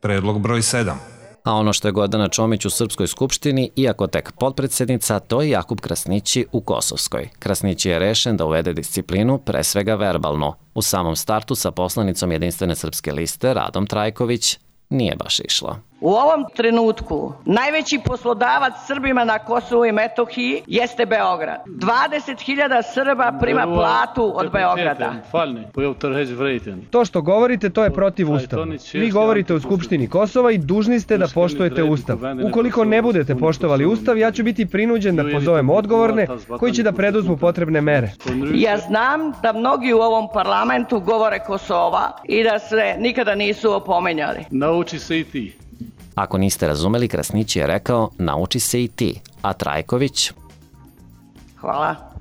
Predlog broj 7. A ono što je Gordana Čomić u Srpskoj skupštini, iako tek potpredsednica, to je Jakub Krasnići u Kosovskoj. Krasnići je rešen da uvede disciplinu, pre svega verbalno. U samom startu sa poslanicom Jedinstvene srpske liste, Radom Trajković, nije baš išlo. U ovom trenutku najveći poslodavac Srbima na Kosovu i Metohiji jeste Beograd. 20.000 Srba prima platu od Beograda. To što govorite, to je protivustavno. Vi govorite u Skupštini Kosova i dužni ste da poštujete Ustav. Ukoliko ne budete poštovali Ustav, ja ću biti prinuđen da pozovem odgovorne koji će da preduzmu potrebne mere. Ja znam da mnogi u ovom parlamentu govore Kosova i da se nikada nisu opomenjali. Nauči se i ti. Ako niste razumeli, Krasnići je rekao, nauči se i ti. A Trajković? Hvala.